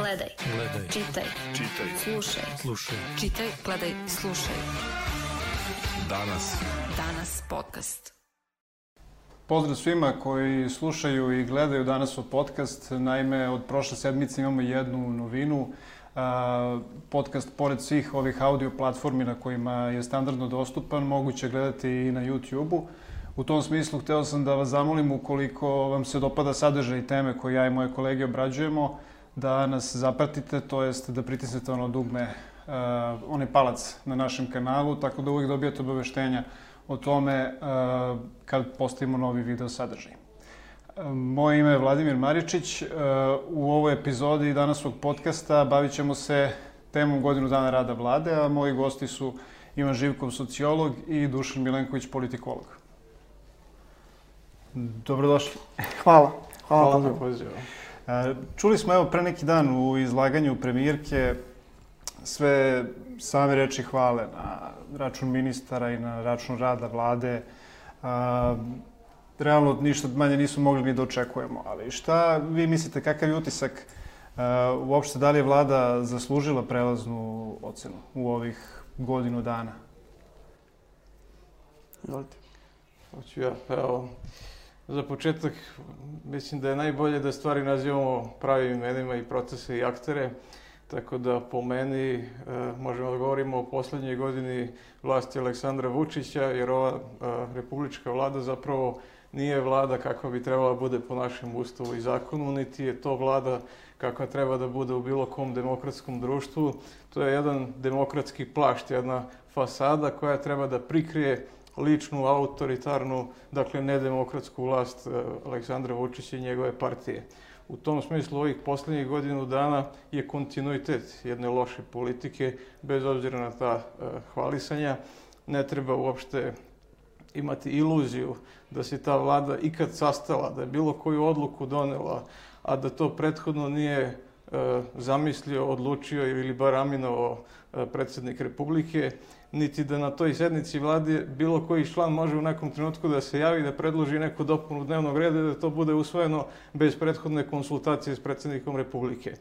Gledaj. Čitaj. Slušaj. Čitaj, gledaj, slušaj. Danas podcast. Pozdrav svima koji slušaju i gledaju Danas podcast. Naime, od prošle sedmice imamo jednu novinu. Podcast, pored svih ovih audio platformi na kojima je standardno dostupan, moguće gledati i na YouTube-u. U tom smislu, hteo sam da vas zamolim, ukoliko vam se dopada sadržaj i teme koje ja i moje kolege obrađujemo, da nas zapratite, to jest da pritisnete ono dugme, onaj palac na našem kanalu, tako da uvijek dobijete obaveštenja o tome kad postavimo novi video sadržaj. Moje ime je Vladimir Maričić. U ovoj epizodi Danasovog podcasta bavit ćemo se temom godinu dana rada vlade, a moji gosti su Ivan Živkov, sociolog, i Dušan Milenković, politikolog. Dobrodošli. Hvala na pozivu. Čuli smo evo pre neki dan u izlaganju premijerke sve same reči hvale na račun ministara i na račun rada vlade. Realno ništa manje nismo mogli ni da očekujemo, ali šta vi mislite, kakav je utisak uopšte, da li je vlada zaslužila prelaznu ocenu u ovih godinu dana? Hoću ja, evo, za početak mislim da je najbolje da stvari nazivamo pravim imenima i procese i aktere, tako da po meni možemo da govorimo o poslednjoj godini vlasti Aleksandra Vučića, jer ova republička vlada zapravo nije vlada kakva bi trebala bude po našem ustavu i zakonu, niti je to vlada kakva treba da bude u bilo kom demokratskom društvu. To je jedan demokratski plašt, jedna fasada koja treba da prikrije ličnu, autoritarnu, dakle nedemokratsku vlast Aleksandra Vučića i njegove partije. U tom smislu ovih poslednjih godinu dana je kontinuitet jedne loše politike, bez obzira na ta hvalisanja. Ne treba uopšte imati iluziju da se ta vlada ikad sastala, da je bilo koju odluku donela, a da to prethodno nije zamislio, odlučio ili bar aminovao predsjednik Republike, niti da na toj sednici vlade bilo koji član može u nekom trenutku da se javi, da predloži neku dopunu dnevnog reda i da to bude usvojeno bez prethodne konsultacije s predsjednikom Republike.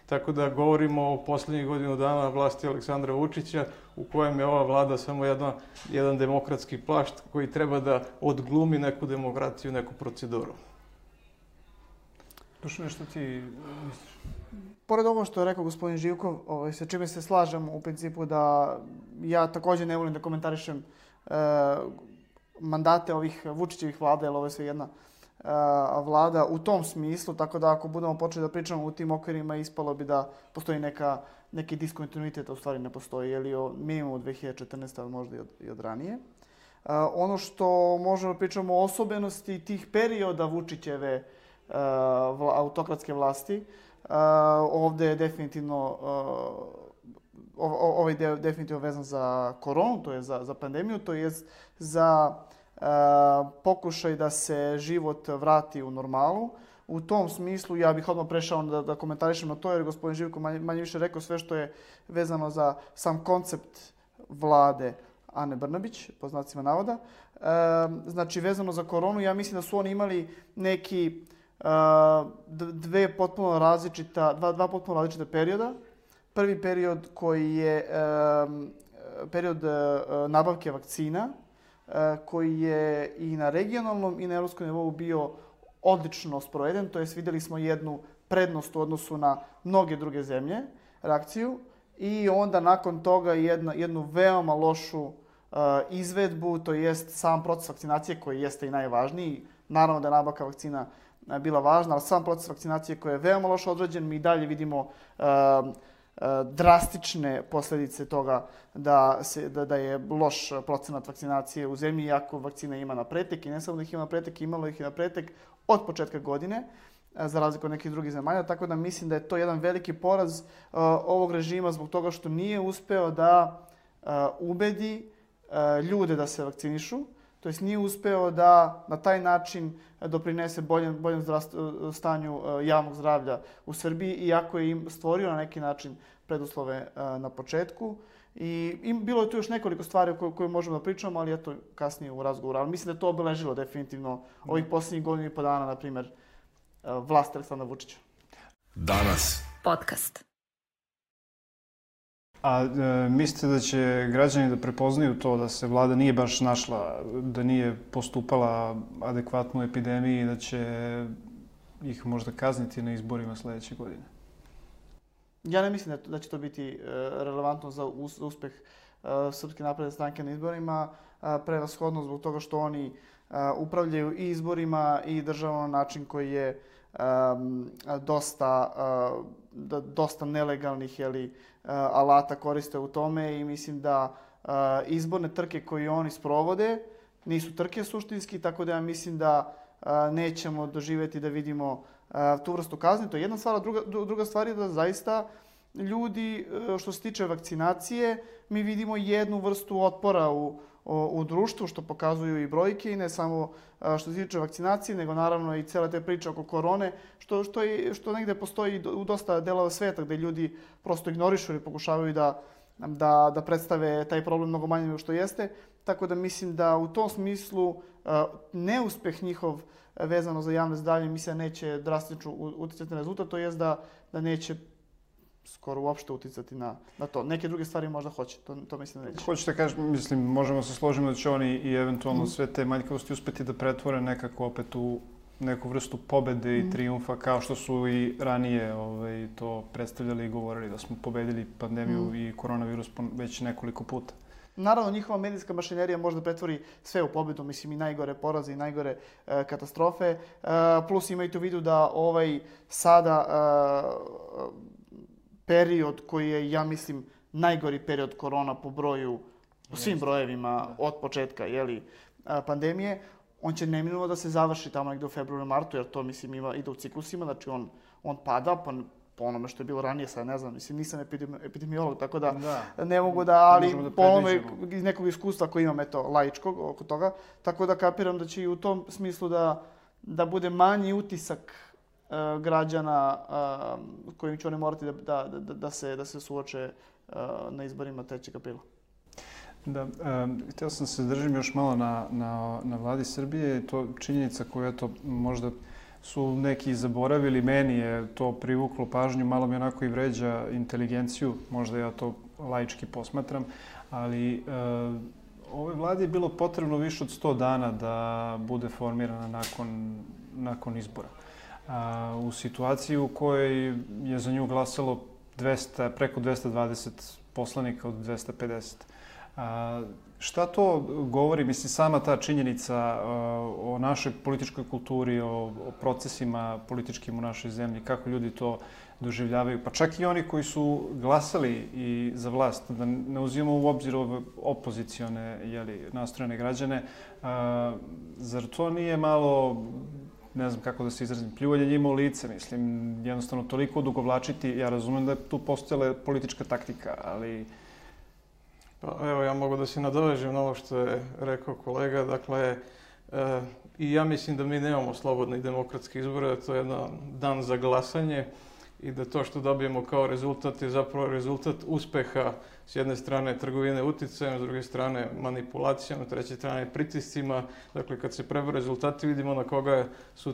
Tako da govorimo o poslednjih godinu dana vlasti Aleksandra Vučića, u kojem je ova vlada samo jedan demokratski plašt koji treba da odglumi neku demokratiju, neku proceduru. Dušane, što ti misliš? Pored ovo što je rekao gospodin Živkov, sa čime se slažem u principu da ja također ne volim da komentarišem mandate ovih Vučićevih vlada, jer ovo je sve jedna vlada u tom smislu, tako da ako budemo počeli da pričamo u tim okvirima, ispalo bi da postoji neki diskontinuitet, a u stvari ne postoji, jer je minimum od 2014. ali možda i od ranije. Ono što možemo da pričamo o osobenosti tih perioda Vučićeve autokratske vlasti, ovdje je definitivno ovaj deo definitivno vezan za koronu, to je za pandemiju, to je za pokušaj da se život vrati u normalu. U tom smislu ja bih odmah prešao da komentarišem na to, jer gospodin Živko manje više rekao sve što je vezano za sam koncept vlade Ane Brnabić, po znacima navoda. Znači, vezano za koronu, ja mislim da su oni imali neki dva potpuno različita perioda. Prvi period koji je period nabavke vakcina, koji je i na regionalnom i na evropskom nivou bio odlično sproveden, to jest vidjeli smo jednu prednost u odnosu na mnoge druge zemlje, reakciju, i onda nakon toga jednu veoma lošu izvedbu, to jest sam proces vakcinacije koji jeste i najvažniji. Naravno da je nabavka vakcina bila važna, ali sam proces vakcinacije koji je veoma loše odrađen, mi dalje vidimo drastične posljedice toga da je loš procenat vakcinacije u zemlji, iako vakcina ima na pretek, i ne samo da ih ima na pretek, imalo ih i na pretek od početka godine, za razliku od nekih drugih zemalja, tako da mislim da je to jedan veliki poraz ovog režima zbog toga što nije uspeo da ubedi ljude da se vakcinišu, to jest nije uspeo da na taj način doprinese boljem stanju javnog zdravlja u Srbiji, iako je im stvorio na neki način preduslove na početku. I bilo je tu još nekoliko stvari o koje možemo da pričamo, ali eto kasnije u razgovoru. Ali mislim da je to obeležilo definitivno ovih posljednjih godina i po dana, na primjer, vlast Aleksandra Vučića. Danas podcast. A mislite da će građani da prepoznaju to da se vlada nije baš našla, da nije postupala adekvatno u epidemiji i da će ih možda kazniti na izborima sledeće godine? Ja ne mislim da će to biti relevantno za uspeh Srpske napredne stranke na izborima, prevashodno zbog toga što oni upravljaju i izborima i državom na način koji je dosta nelegalnih alata koriste u tome i mislim da izborne trke koje oni sprovode nisu trke suštinski, tako da ja mislim da nećemo doživjeti da vidimo tu vrstu kazni. To je jedna stvar, a druga stvar je da zaista ljudi, što se tiče vakcinacije, mi vidimo jednu vrstu otpora u društvu, što pokazuju i brojke, i ne samo što se tiče vakcinacije, nego naravno i cijela te priče oko korone, što negde postoji u dosta delova sveta gde ljudi prosto ignorišu ili pokušavaju da predstave taj problem mnogo manje nego što jeste. Tako da mislim da u tom smislu neuspeh njihov vezano za javno zdravlje mislim da neće drastično uticati na rezultat, to jest da neće skoro uopšte uticati na to. Neke druge stvari možda hoće, to mislim da neće. Hoćete kažem, mislim, možemo se složiti da će oni i eventualno sve te manjkavosti uspeti da pretvore nekako opet u neku vrstu pobede i trijumfa, kao što su i ranije to predstavljali i govorili da smo pobedili pandemiju i koronavirus već nekoliko puta. Naravno, njihova medijska mašinerija može da pretvori sve u pobedu, mislim i najgore poraze i najgore katastrofe. Plus imajte u vidu da sada period koji je, ja mislim, najgori period korona po svim brojevima od početka pandemije, on će neminovno da se završi tamo negde u februaru, martu, jer to, mislim, ide u ciklusima, znači on pada, po onome što je bilo ranije, sad ne znam, mislim, nisam epidemiolog, tako da ne mogu ali po onome iz nekog iskustva koji imam, laičkog oko toga, tako da kapiram da će i u tom smislu da bude manji utisak građana kojim će oni morati da se suoče na izborima 3. aprila. Da, htio sam se držim još malo na vladi Srbije. To činjenica koju možda su neki zaboravili, meni je to privuklo pažnju, malo mi onako i vređa inteligenciju, možda ja to laički posmatram, ali ovoj vladi je bilo potrebno više od 100 dana da bude formirana nakon izbora. U situaciji u kojoj je za nju glasalo preko 220 poslanika od 250. Šta to govori, mislim, sama ta činjenica o našoj političkoj kulturi, o procesima političkim u našoj zemlji, kako ljudi to doživljavaju, pa čak i oni koji su glasali i za vlast, da ne uzimamo u obzir ove opozicione nastrojene građane, zar to nije malo, ne znam kako da se izrazim, pljuvanje njima u lice, mislim, jednostavno toliko odugovlačiti, ja razumem da je tu postojala politička taktika, ali... Pa evo, ja mogu da se nadovežem na ovo što je rekao kolega, dakle, i ja mislim da mi nemamo slobodne i demokratske izbore, da to je jedan dan za glasanje i da to što dobijemo kao rezultat je zapravo rezultat uspeha s jedne strane trgovine uticajem, s druge strane manipulacijom, s treće strane pritiscima. Dakle, kad se prebrojaju rezultati vidimo na koga su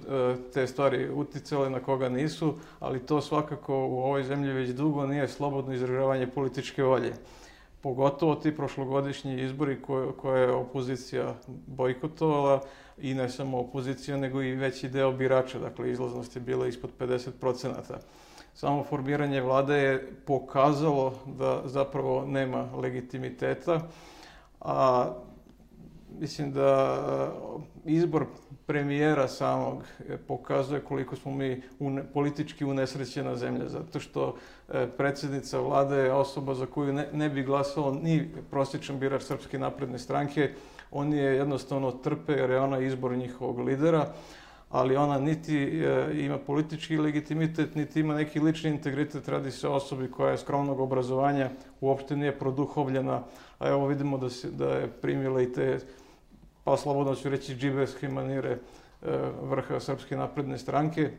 te stvari uticale, na koga nisu, ali to svakako u ovoj zemlji već dugo nije slobodno izražavanje političke volje. Pogotovo ti prošlogodišnji izbori koje je opozicija bojkotovala i ne samo opozicija, nego i veći deo birača. Dakle, izlaznost je bila ispod 50%. Samo formiranje vlade je pokazalo da zapravo nema legitimiteta, a mislim da izbor premijera samog pokazuje koliko smo mi politički unesrećena zemlja, zato što predsjednica vlade je osoba za koju ne bi glasalo ni prosječan birač Srpske napredne stranke. Oni je jednostavno trpe jer je ona izbor njihovog lidera, ali ona niti ima politički legitimitet, niti ima neki lični integritet. Radi se o osobi koja je skromnog obrazovanja, uopšte nije produhovljena, a evo vidimo da je primila i te, pa slobodno ću reći, džiberske manire vrha Srpske napredne stranke.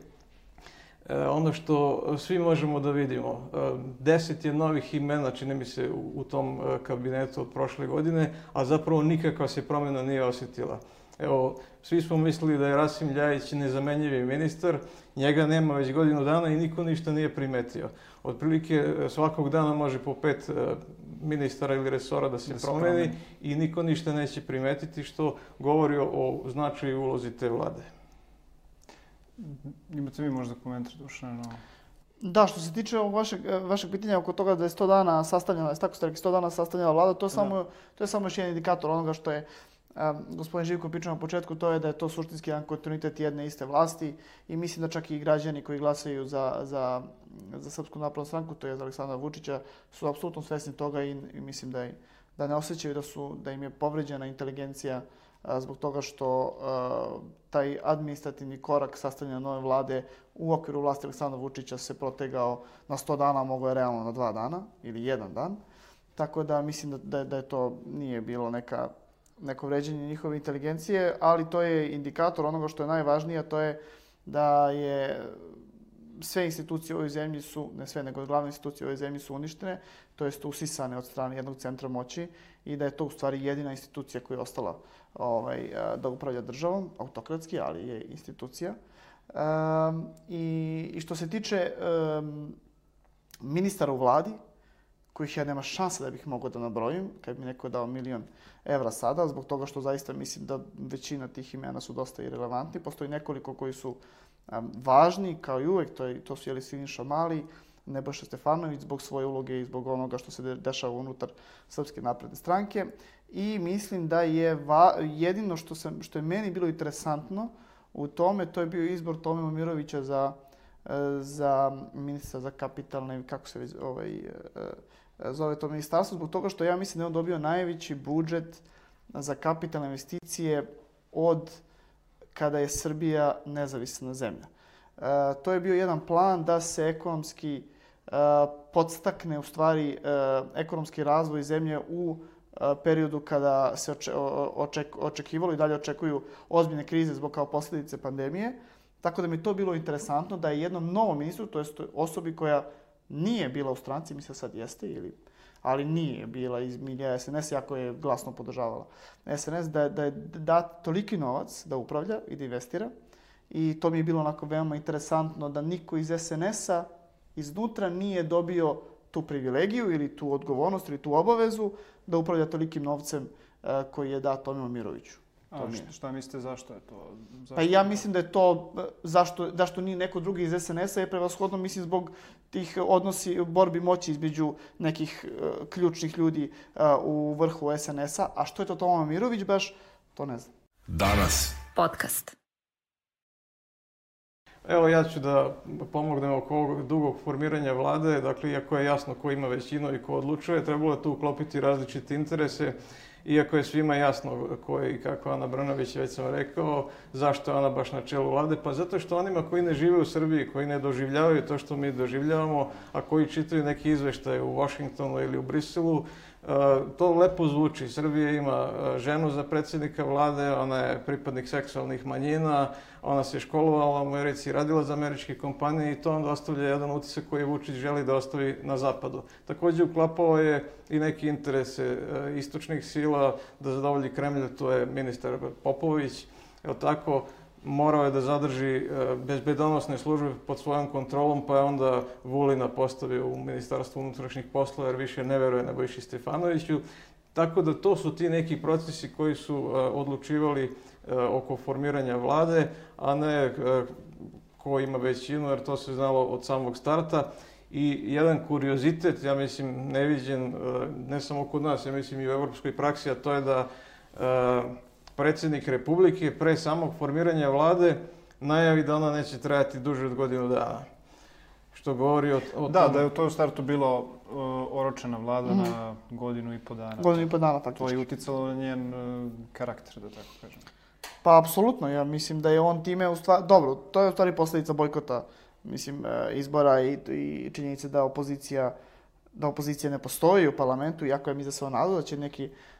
Ono što svi možemo da vidimo, 10 je novih imena, čini mi se, u tom kabinetu od prošle godine, a zapravo nikakva se promjena nije osjetila. Evo, svi smo mislili da je Rasim Ljajić nezamenjivi ministar, njega nema već godinu dana i niko ništa nije primetio. Otprilike svakog dana može po 5 ministara ili resora da se promeni i niko ništa neće primetiti, što govori o značaju i ulozi te vlade. Imate vi možda komentar, Dušan? Da, što se tiče vašeg pitanja oko toga da je 100 dana sastavljena, tako ste rekli, 100 dana sastavljena vlada, to je samo još jedan indikator onoga što je gospodin Živko pričao na početku, to je da je to suštinski jedan kontinuitet jedne iste vlasti i mislim da čak i građani koji glasaju za Srpsku naprednu stranku, to je za Aleksandra Vučića, su apsolutno svesni toga i mislim da ne osjećaju da im je povređena inteligencija zbog toga što taj administrativni korak sastavljanja nove vlade u okviru vlasti Aleksandra Vučića se protegao na 100 dana, mogo je realno na 2 dana ili 1 dan. Tako da mislim da je to nije bilo neko vređenje njihove inteligencije, ali to je indikator onoga što je najvažnije, a to je da je sve institucije u ovoj zemlji su, ne sve, nego glavne institucije u ovoj zemlji su uništene, to jest usisane od strane jednog centra moći i da je to u stvari jedina institucija koja je ostala da upravlja državom, autokratski, ali je institucija. I što se tiče ministara u vladi, kojih ja nema šanse da bih mogao da nabrojim, kad bi neko dao €1.000.000 sada, zbog toga što zaista mislim da većina tih imena su dosta irelevantni. Postoji nekoliko koji su važni, kao i uvek, to su Siniša Mali, Nebojša Stefanović, zbog svoje uloge i zbog onoga što se dešava unutar Srpske napredne stranke. I mislim da je jedino što je meni bilo interesantno u tome, to je bio izbor Tome Momirovića za ministra za kapitalne, kako se zove to ministarstvo, zbog toga što ja mislim da je on dobio najveći budžet za kapitalne investicije od kada je Srbija nezavisna zemlja. To je bio jedan plan da se ekonomski podstakne u stvari ekonomski razvoj zemlje u periodu kada se očekivalo i dalje očekuju ozbiljne krize zbog kao posljedice pandemije. Tako da mi je to bilo interesantno da je jednom novom ministru, to jest osobi koja nije bila u stranci, mislim sad jeste, ali nije bila iz milija SNS, jako je glasno podržavala SNS, da je dat toliki novac da upravlja i da investira. I to mi je bilo onako veoma interesantno da niko iz SNS-a iznutra nije dobio tu privilegiju ili tu odgovornost ili tu obavezu da upravlja tolikim novcem koji je dat Tome Momiroviću. Šta mislite, zašto je to? Pa ja mislim da je to, zašto nije neko drugi iz SNS-a, je prevashodno, mislim, zbog tih odnosi, borbi moći između nekih ključnih ljudi u vrhu SNS-a. A što je to Toma Momirović baš, to ne znam. Danas. Podcast. Evo, ja ću da pomognem oko ovog dugog formiranja vlade. Dakle, iako je jasno ko ima većinu i ko odlučuje, trebalo je tu uklopiti različite interese. Iako je svima jasno ko je i kako Ana Brnabić, već sam rekao, zašto je ona baš na čelu vlade, pa zato što onima koji ne žive u Srbiji, koji ne doživljavaju to što mi doživljavamo, a koji čitaju neki izveštaje u Washingtonu ili u Briselu, to lepo zvuči. Srbija ima ženu za predsjednika vlade, ona je pripadnik seksualnih manjina, ona se školovala u Americi, radila za američke kompanije i to onda ostavlja jedan utisak koji Vučić želi da ostavi na zapadu. Također uklapao je i neke interese istočnih sila da zadovolji Kremlj, to je ministar Popović. Evo tako, morao je da zadrži bezbedonosne službe pod svojom kontrolom, pa je onda Vulina postavio u Ministarstvu unutrašnjih poslova jer više ne veruje Nebojši Stefanoviću. Tako da to su ti neki procesi koji su odlučivali oko formiranja vlade, a ne ko ima većinu, jer to se znalo od samog starta. I jedan kuriozitet, ja mislim, neviđen, ne samo kod nas, ja mislim i u evropskoj praksi, a to je da predsjednik Republike pre samog formiranja vlade najavi da ona neće trajati duže od godinu dana. Što govori o tome... Da je u tom startu bilo oročena vlada na godinu i po dana. Godinu i po dana, faktički. To je uticalo na njen karakter, da tako kažem. Pa, apsolutno, ja mislim da je on time u stvari... Dobro, to je u stvari posljedica bojkota, mislim, izbora i činjenice da opozicija ne postoji u parlamentu, iako je mi za sve nadao da će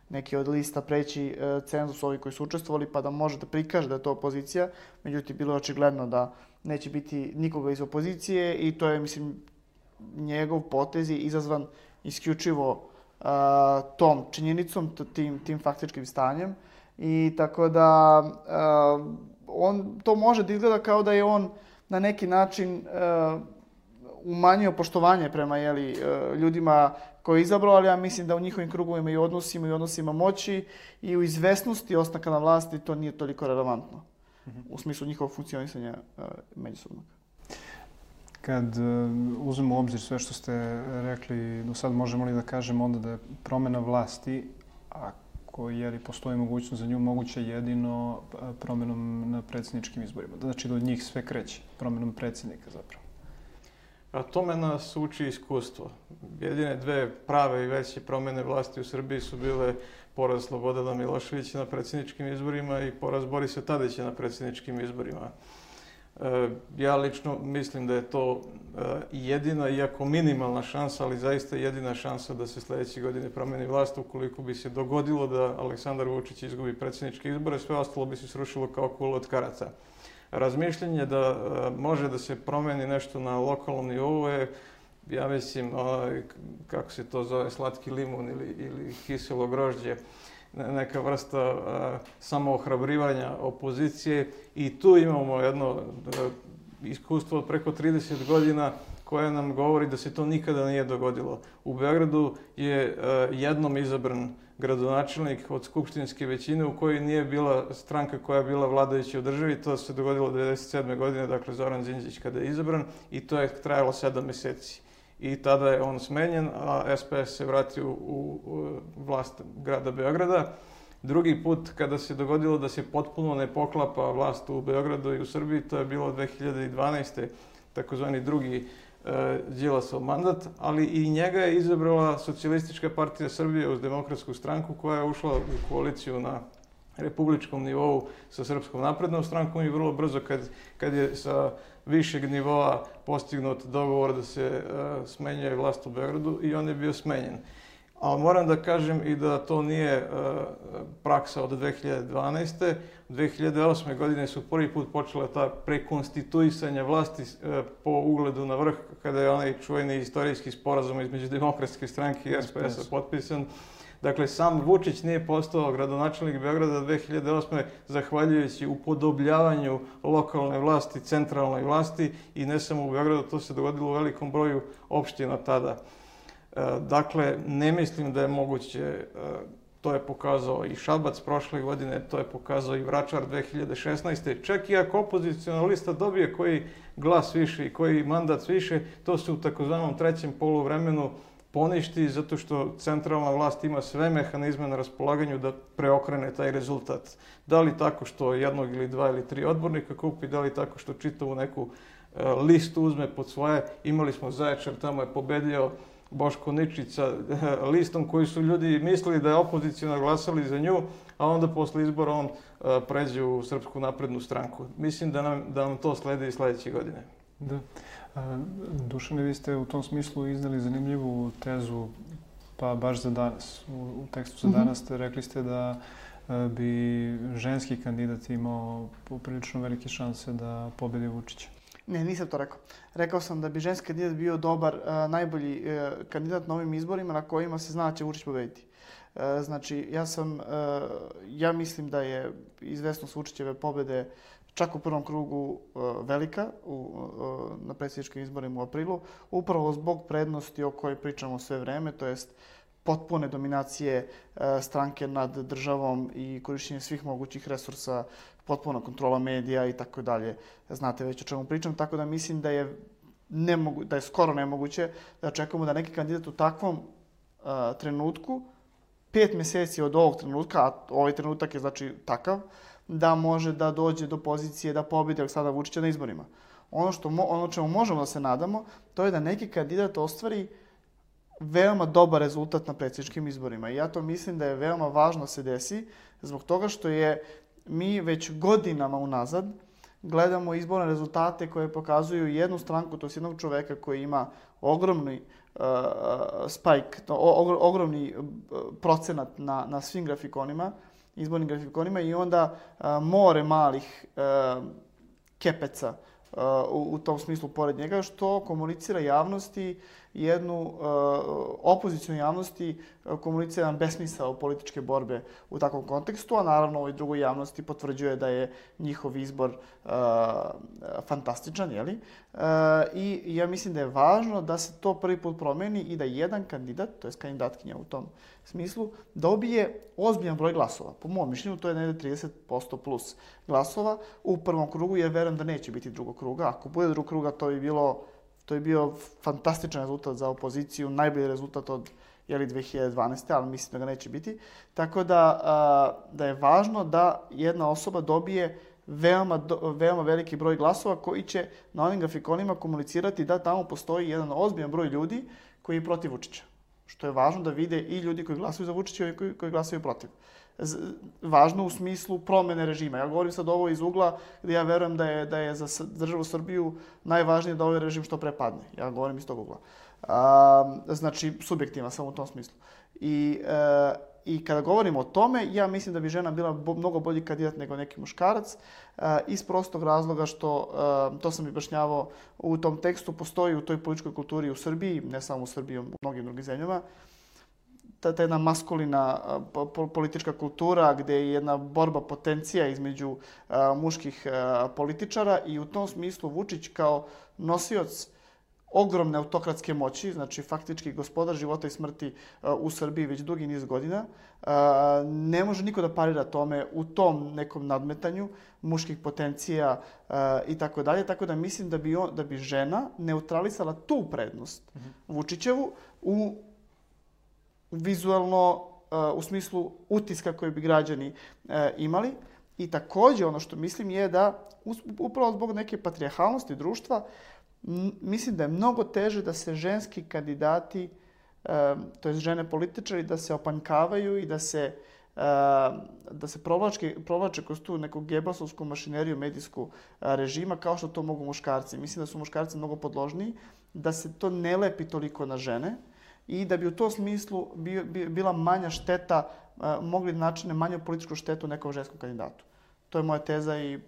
neki od lista preći cenzus, ovi koji su učestvovali, pa da može da prikaže da je to opozicija. Međutim, bilo je očigledno da neće biti nikoga iz opozicije i to je, mislim, njegov potez je izazvan isključivo tom činjenicom, tim faktičkim stanjem. I tako da on to može da izgleda kao da je on na neki način umanjio poštovanje prema ljudima koje je izabrao, ali ja mislim da u njihovim krugovima i odnosima moći i u izvesnosti ostanka na vlasti to nije toliko relevantno u smislu njihovog funkcionisanja međusobnog. Kad uzmemo u obzir sve što ste rekli, do sad možemo li da kažemo onda da je promjena vlasti, ako postoji mogućnost za nju, moguće jedino promjenom na predsjedničkim izborima? Znači da od njih sve kreće, promjenom predsjednika zapravo. A tome nas uči iskustvo. Jedine dve prave i veće promjene vlasti u Srbiji su bile poraz Slobodana Miloševića na predsjedničkim izborima i poraz Borisa Tadića na predsjedničkim izborima. Ja lično mislim da je to jedina, iako minimalna šansa, ali zaista jedina šansa da se sljedeće godine promijeni vlast. Ukoliko bi se dogodilo da Aleksandar Vučić izgubi predsjedničke izbore, sve ostalo bi se srušilo kao kula od karata. Razmišljanje da može da se promijeni nešto na lokalnom nivou je, ja mislim, kako se to zove, slatki limun ili kiselo grožđe, neka vrsta samoohrabrivanja opozicije i tu imamo jedno iskustvo od preko 30 godina koje nam govori da se to nikada nije dogodilo. U Beogradu je jednom izabran gradonačelnik od skupštinske većine u kojoj nije bila stranka koja je bila vladajuća u državi. To se dogodilo 1997. godine, dakle Zoran Đinđić kada je izabran i to je trajalo 7 mjeseci. I tada je on smenjen, a SPS se vratio u vlast grada Beograda. Drugi put kada se dogodilo da se potpuno ne poklapa vlast u Beogradu i u Srbiji, to je bilo 2012. takozvani drugi Đilasov mandat, ali i njega je izabrala Socijalistička partija Srbije uz Demokratsku stranku koja je ušla u koaliciju na republičkom nivou sa Srpskom naprednom strankom i vrlo brzo kad je sa višeg nivoa postignut dogovor da se smenjuje vlast u Beogradu i on je bio smenjen. Ali moram da kažem i da to nije praksa od 2012. 2008. godine su prvi put počela ta prekonstituisanja vlasti po ugledu na vrh, kada je onaj čuveni istorijski sporazum između Demokratske stranke i SPS-a potpisan. Dakle, sam Vučić nije postao gradonačelnik Beograda 2008. zahvaljujući upodobljavanju lokalne vlasti, centralnoj vlasti i ne samo u Beogradu, to se dogodilo u velikom broju opština tada. Dakle, ne mislim da je moguće, to je pokazao i Šabac prošle godine, to je pokazao i Vračar 2016. Čak i ako opozicijona lista dobije koji glas više i koji mandat više, to se u takozvanom trećem poluvremenu poništi zato što centralna vlast ima sve mehanizme na raspolaganju da preokrene taj rezultat. Da li tako što jednog ili dva ili tri odbornika kupi, da li tako što čitavu neku listu uzme pod svoje. Imali smo Zaječar, tamo je pobedio Boško Ničić sa listom koji su ljudi mislili da je opozicijno glasali za nju, a onda posle izbora on pređe u Srpsku naprednu stranku. Mislim da nam to sledi i sljedeće godine. Da. Dušane, vi ste u tom smislu iznali zanimljivu tezu, pa baš za danas. U tekstu za danas rekli ste da bi ženski kandidat imao poprilično velike šanse da pobedi Vučića. Ne, nisam to rekao. Rekao sam da bi ženski kandidat bio dobar, najbolji kandidat na ovim izborima na kojima se zna da će Vučić pobediti. Znači, ja mislim da je izvesnost Vučićeve pobede čak u prvom krugu velika na predsjedničkim izborima u aprilu, upravo zbog prednosti o kojoj pričamo sve vreme, to jest potpune dominacije stranke nad državom i korišćenje svih mogućih resursa, potpuna kontrola medija i tako dalje. Znate već o čemu pričam, tako da mislim da je skoro nemoguće da očekujemo da neki kandidat u takvom trenutku, 5 mjeseci od ovog trenutka, a ovaj trenutak je znači takav, da može da dođe do pozicije da pobedi Aleksandra Vučića na izborima. Ono čemu možemo da se nadamo, to je da neki kandidat ostvari veoma dobar rezultat na predsjedničkim izborima. I ja to mislim da je veoma važno se desi, zbog toga što mi već godinama unazad gledamo izborne rezultate koje pokazuju jednu stranku, to je jednog čoveka koji ima ogromni spike, ogromni procenat na svim grafikonima, izbornim grafikonima i onda more malih kepeca u tom smislu pored njega, što komunicira javnosti jednu opoziciju javnosti komunicira jedan besmisao političke borbe u takvom kontekstu, a naravno ovoj drugoj javnosti potvrđuje da je njihov izbor fantastičan, jeli? I ja mislim da je važno da se to prvi put promeni i da jedan kandidat, to je kandidatkinja u tom smislu, dobije ozbiljan broj glasova. Po mom mišljenju to je negde 30% plus glasova u prvom krugu, jer verujem da neće biti drugog kruga. Ako bude drugog kruga, to bi bio fantastičan rezultat za opoziciju, najbolji rezultat od 2012. ali mislim da ga neće biti. Tako da je važno da jedna osoba dobije veoma veliki broj glasova koji će na onim grafikonima komunicirati da tamo postoji jedan ozbiljan broj ljudi koji je protiv Vučića. Što je važno da vide i ljudi koji glasuju za Vučića i koji glasuju protiv. Važno u smislu promene režima. Ja govorim sad ovo iz ugla gdje ja verujem da je za državu Srbiju najvažnije da ovaj režim što pre padne. Ja govorim iz tog ugla. Znači, subjektivno sam u tom smislu. I kada govorimo o tome, ja mislim da bi žena bila mnogo bolji kandidat nego neki muškarac, iz prostog razloga što, to sam objašnjavao u tom tekstu, postoji u toj političkoj kulturi u Srbiji, ne samo u Srbiji, u mnogim drugim zemljama, ta jedna maskulina politička kultura gdje je jedna borba potencija između muških političara i u tom smislu Vučić kao nosioc ogromne autokratske moći, znači faktički gospodar života i smrti u Srbiji već dugi niz godina. Ne može niko da parira tome u tom nekom nadmetanju muških potencija i tako dalje. Tako da mislim da bi žena neutralisala tu prednost Vučićevu u vizualno, u smislu utiska koji bi građani imali. I također ono što mislim je da upravo zbog neke patrijarhalnosti društva mislim da je mnogo teže da se ženski kandidati, to jest žene političari, da se opanjkavaju i da se provlače kroz tu neku gebelsovsku mašineriju medijsku režima kao što to mogu muškarci. Mislim da su muškarci mnogo podložniji, da se to ne lepi toliko na žene i da bi u tom smislu bila manja šteta, mogli načine manju političku štetu nekom ženskom kandidatu. To je moja teza i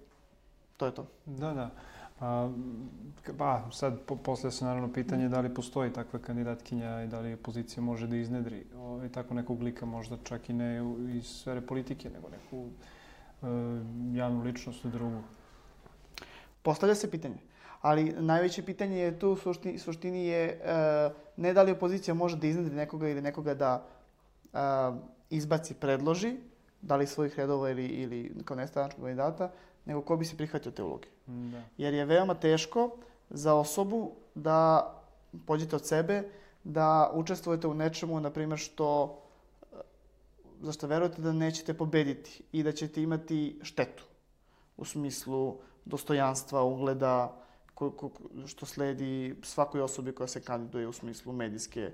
to je to. Da. Sad poslije se naravno pitanje da li postoji takva kandidatkinja i da li opozicija može da iznedri tako nekog lika, možda čak i ne iz sfere politike, nego neku javnu ličnost drugu. Postavlja se pitanje. Ali najveće pitanje je tu, u suštini je ne da li opozicija može da iznedri nekoga ili nekoga da izbaci, predloži, da li svojih redova ili kao nestranačkog kandidata, nego ko bi se prihvatio te uloge. Da. Jer je veoma teško za osobu da pođete od sebe, da učestvujete u nečemu, na primjer, za što verujete da nećete pobediti i da ćete imati štetu u smislu dostojanstva, ugleda, što sledi svakoj osobi koja se kandiduje u smislu medijske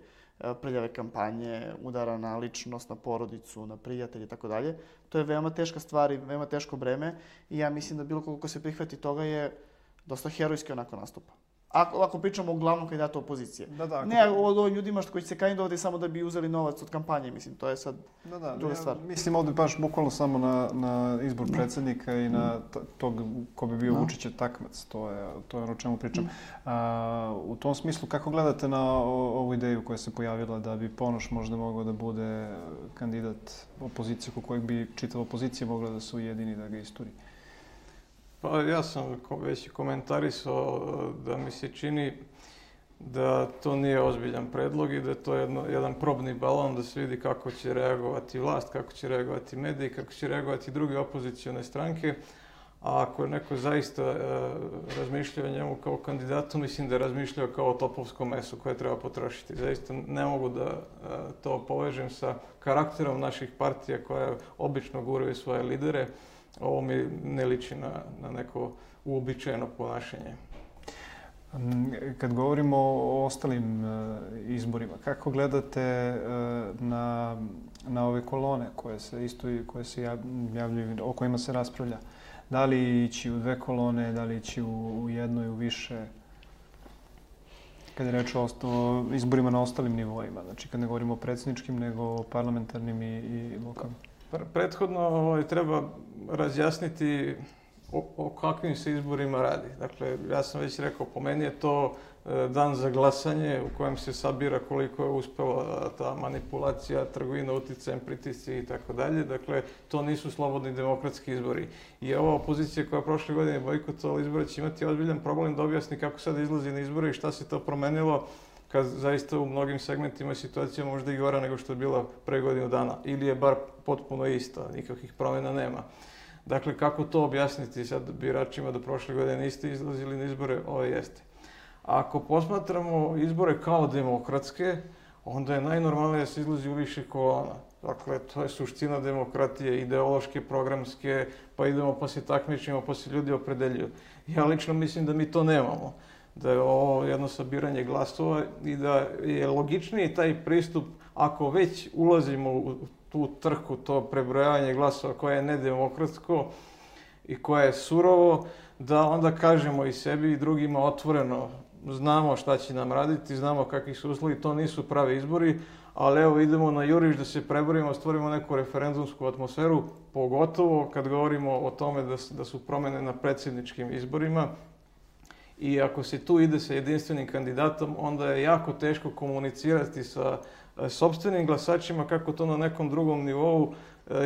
prljave kampanje, udara na ličnost, na porodicu, na prijatelje i tako dalje. To je veoma teška stvar i veoma teško breme i ja mislim da bilo ko se prihvati toga je dosta herojski onako nastupa. Ako pričamo o glavnom kandidatu opozicije. Ne o ovim ljudima koji će se kandidovati samo da bi uzeli novac od kampanje, mislim, to je sad druga stvar. Mislim ovdje baš bukvalno samo na izbor predsjednika i na tog ko bi bio Vučićev takmac, to je ono o čemu pričam. U tom smislu, kako gledate na ovu ideju koja se pojavila da bi Ponoš možda mogao da bude kandidat opozicije kod kojeg bi čitava opozicija mogla da se ujedini da ga isturi? Pa ja sam već komentarisao da mi se čini da to nije ozbiljan predlog i da je to jedan probni balon da se vidi kako će reagovati vlast, kako će reagovati mediji, kako će reagovati druge opozicione stranke. A ako je neko zaista razmišljao o njemu kao kandidatu, mislim da je razmišljao kao o topovskom mesu koje treba potrošiti. Zaista ne mogu da to povežem sa karakterom naših partija koje obično guraju svoje lidere. Ovo mi ne liči na neko uobičajeno ponašanje. Kad govorimo o ostalim izborima, kako gledate na ove kolone koje se javljaju, o kojima se raspravlja? Da li ići u dve kolone, da li ići u jedno i u više? Kad je reč o izborima na ostalim nivoima, znači kad ne govorimo o predsjedničkim, nego o parlamentarnim i lokalnim. Prethodno treba razjasniti o kakvim se izborima radi. Dakle, ja sam već rekao, po meni je to dan za glasanje u kojem se sabira koliko je uspela ta manipulacija, trgovina uticajem, pritisci i tako dalje. Dakle, to nisu slobodni demokratski izbori. I ova opozicija koja prošle godine bojkotovala izbore će imati ozbiljan problem da objasni kako sad izlazi na izbore i šta se to promenilo kad zaista u mnogim segmentima situacija možda i gora nego što je bila pre godinu dana. Ili je bar potpuno ista, nikakvih promjena nema. Dakle, kako to objasniti sad biračima da prošle godine niste izlazili na izbore? Ovo jeste. Ako posmatramo izbore kao demokratske, onda je najnormalnije da se izlazi u više kolona. Dakle, to je suština demokratije, ideološke, programske, pa idemo pa se takmičimo, pa se ljudi opredeljuju. Ja lično mislim da mi to nemamo. Da je ovo jedno sabiranje glasova i da je logičniji taj pristup ako već ulazimo u tu trku, to prebrojavanje glasova koje je nedemokratsko i koje je surovo, da onda kažemo i sebi i drugima otvoreno, znamo šta će nam raditi, znamo kakvi su uslovi, to nisu pravi izbori, ali evo idemo na juriš da se preborimo, stvorimo neku referendumsku atmosferu, pogotovo kad govorimo o tome da su promjene na predsjedničkim izborima. I ako se tu ide sa jedinstvenim kandidatom, onda je jako teško komunicirati sa sopstvenim glasačima kako to na nekom drugom nivou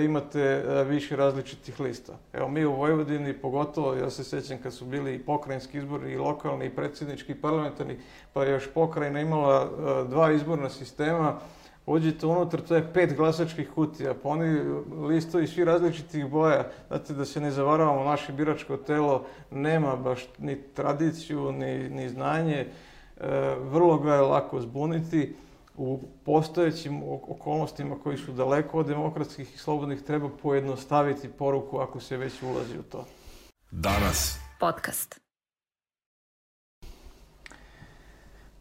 imate više različitih lista. Evo mi u Vojvodini pogotovo, ja se sjećam kad su bili i pokrajinski izbori, i lokalni, i predsjednički, i parlamentarni, pa je još pokrajina imala 2 izborna sistema. Uđite unutar, to je 5 glasačkih kutija, pa oni listovi svi različitih boja. Znate, da se ne zavaravamo, naše biračko telo nema baš ni tradiciju, ni znanje. Vrlo ga je lako zbuniti. U postojećim okolnostima koji su daleko od demokratskih i slobodnih treba pojednostaviti poruku ako se već ulazi u to. Danas. Podcast.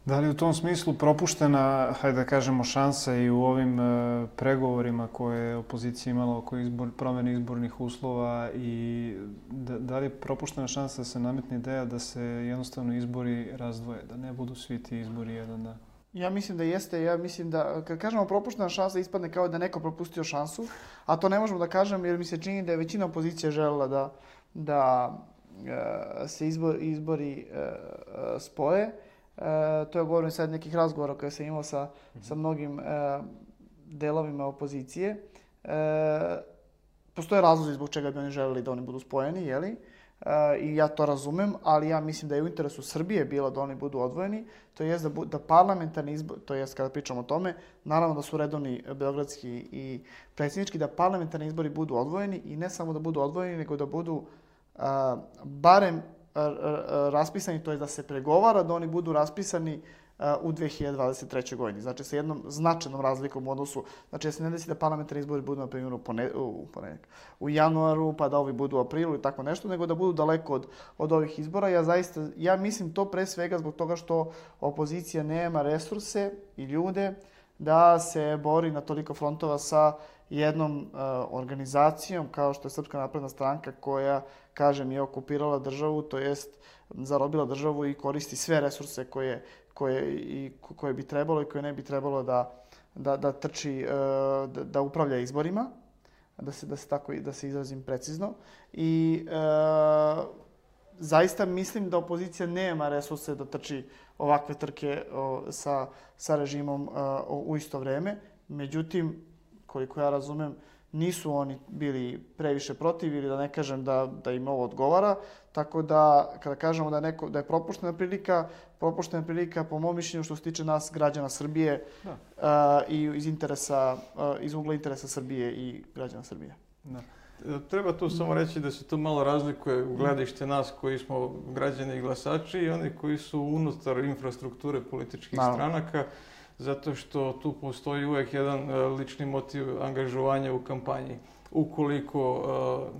Da li u tom smislu propuštena, hajde da kažemo, šansa i u ovim pregovorima koje je opozicija imala oko promjene izbornih uslova i da li je propuštena šansa da se nametne ideja da se jednostavno izbori razdvoje, da ne budu svi ti izbori jedan dan? Ja mislim da jeste. Ja mislim da, kad kažemo propuštena šansa, ispadne kao da neko propustio šansu, a to ne možemo da kažem jer mi se čini da je većina opozicije želela da se izbori spoje. To je govorim sad nekih razgovora koje sam imao sa mnogim delovima opozicije. Postoje razlozi zbog čega bi oni želeli da oni budu spojeni, jeli? I ja to razumem, ali ja mislim da je u interesu Srbije bilo da oni budu odvojeni, to jest da parlamentarni izbor, to jest kada pričamo o tome, naravno da su redovni beogradski i predsjednički, da parlamentarni izbori budu odvojeni i ne samo da budu odvojeni, nego da budu barem raspisani, to je da se pregovara da oni budu raspisani u 2023. godini. Znači, sa jednom značajnom razlikom u odnosu, znači da se ne desi da parlamentarni izbori budu, na primjer, u januaru, pa da ovi budu u aprilu i tako nešto, nego da budu daleko od ovih izbora. Ja mislim to pre svega zbog toga što opozicija nema resurse i ljude da se bori na toliko frontova sa jednom organizacijom kao što je Srpska napredna stranka koja, kažem, je okupirala državu, to jest zarobila državu i koristi sve resurse koje bi trebalo i koje ne bi trebalo da trči, da upravlja izborima, da se izrazim precizno. I zaista mislim da opozicija nema resurse da trči ovakve trke sa režimom u isto vreme. Međutim, koliko ja razumem, nisu oni bili previše protiv ili da ne kažem da im ovo odgovara. Tako da, kada kažemo da je propuštena prilika po mom mišljenju što se tiče nas, građana Srbije i iz ugla interesa Srbije i građana Srbije. Da. Treba tu samo reći da se tu malo razlikuje u gledište nas koji smo građani i glasači i oni koji su unutar infrastrukture političkih stranaka, zato što tu postoji uvek jedan lični motiv angažovanja u kampanji. Ukoliko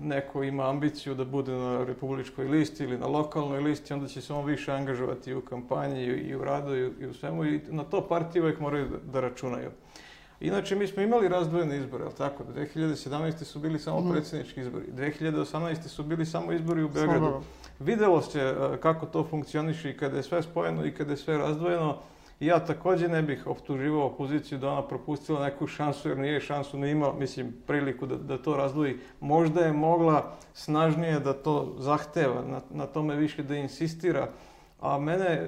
neko ima ambiciju da bude na republičkoj listi ili na lokalnoj listi, onda će se on više angažovati u kampanji i u radu i u svemu i na to partije uvek moraju da računaju. Inače, mi smo imali razdvojene izbore, ali tako? 2017. su bili samo predsjednički izbori, 2018. su bili samo izbori u Beogradu. Videlo se kako to funkcioniše i kada je sve spojeno i kada je sve razdvojeno. Ja također ne bih optuživao opoziciju da ona propustila neku šansu, jer nije šansu ni imala, mislim, priliku da to razdvoji. Možda je mogla snažnije da to zahteva, na tome više da insistira, A mene,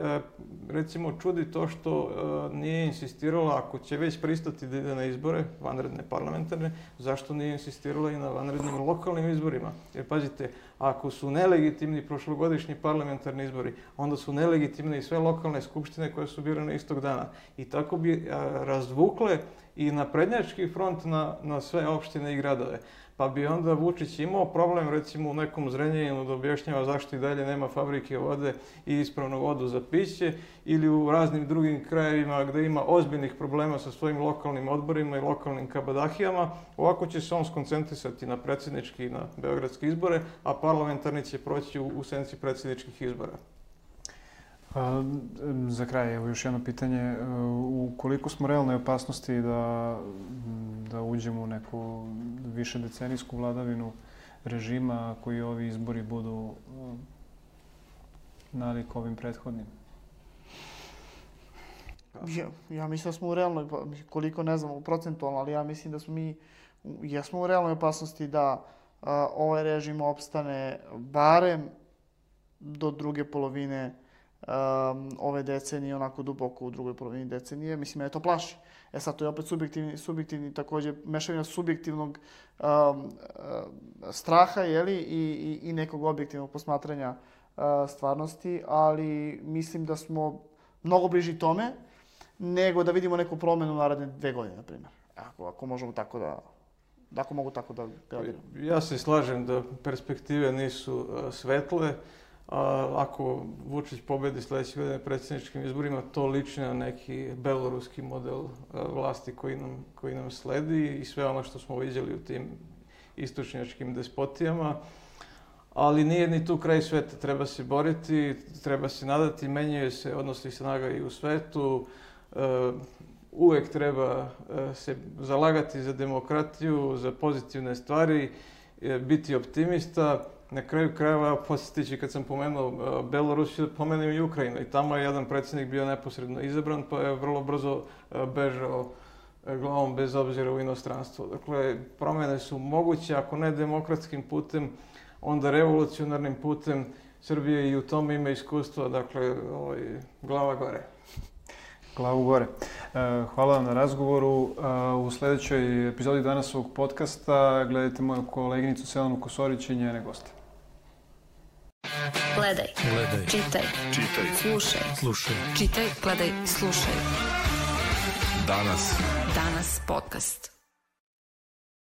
recimo, čudi to što nije insistirala, ako će već pristati da ide na izbore, vanredne parlamentarne, zašto nije insistirala i na vanrednim lokalnim izborima? Jer pazite, ako su nelegitimni prošlogodišnji parlamentarni izbori, onda su nelegitimne i sve lokalne skupštine koje su birane istog dana. I tako bi razvukle i naprednjački front na sve opštine i gradove. Pa bi onda Vučić imao problem, recimo u nekom Zrenjaninu da objašnjava zašto i dalje nema fabrike vode i ispravnu vodu za piće, ili u raznim drugim krajevima gde ima ozbiljnih problema sa svojim lokalnim odborima i lokalnim kabadahijama. Ovako će se on skoncentrisati na predsjednički i na beogradske izbore, a parlamentarni će proći u senci predsjedničkih izbora. Za kraj, evo još jedno pitanje. U koliko smo realnoj opasnosti da uđemo u neku višedecenijsku vladavinu režima koji ovi izbori budu nalik ovim prethodnim? Ja mislim da smo u realnoj, koliko ne znam procentualno, ali ja mislim da smo mi jesmo u realnoj opasnosti da ovaj režim opstane barem do druge polovine ove decenije, onako duboko u drugoj polovini decenije. Mislim, mene to plaši. Sad, to je opet subjektivni također, mešavina subjektivnog straha, jeli, i nekog objektivnog posmatranja stvarnosti, ali mislim da smo mnogo bliži tome nego da vidimo neku promjenu u naredne 2 godine, na primjer. Ako možemo tako da mogu tako da gledam. Ja se slažem da perspektive nisu svetle. Ako Vučić pobedi sledeće godine predsjedničkim izborima, to liči na neki beloruski model vlasti koji nam sledi i sve ono što smo viđali u tim istočnjačkim despotijama. Ali nije ni tu kraj sveta. Treba se boriti, treba se nadati, menjaju se odnosi snaga i u svetu. Uvek treba se zalagati za demokratiju, za pozitivne stvari, biti optimista. Na kraju krajeva, posjetići kad sam pomenuo Belorusiju, pomenuo i Ukrajinu. I tamo je jedan predsjednik bio neposredno izabran, pa je vrlo brzo bežao glavom bez obzira u inostranstvo. Dakle, promjene su moguće, ako ne demokratskim putem, onda revolucionarnim putem. Srbija i u tome ima iskustva, dakle, glava gore. Glavu gore. Hvala vam na razgovoru. U sljedećoj epizodi danas ovog podcasta gledajte moju koleginicu Selenu Kosorić i njene goste. Gledaj. Čitaj. Slušaj. Čitaj, gledaj, slušaj. Danas podcast.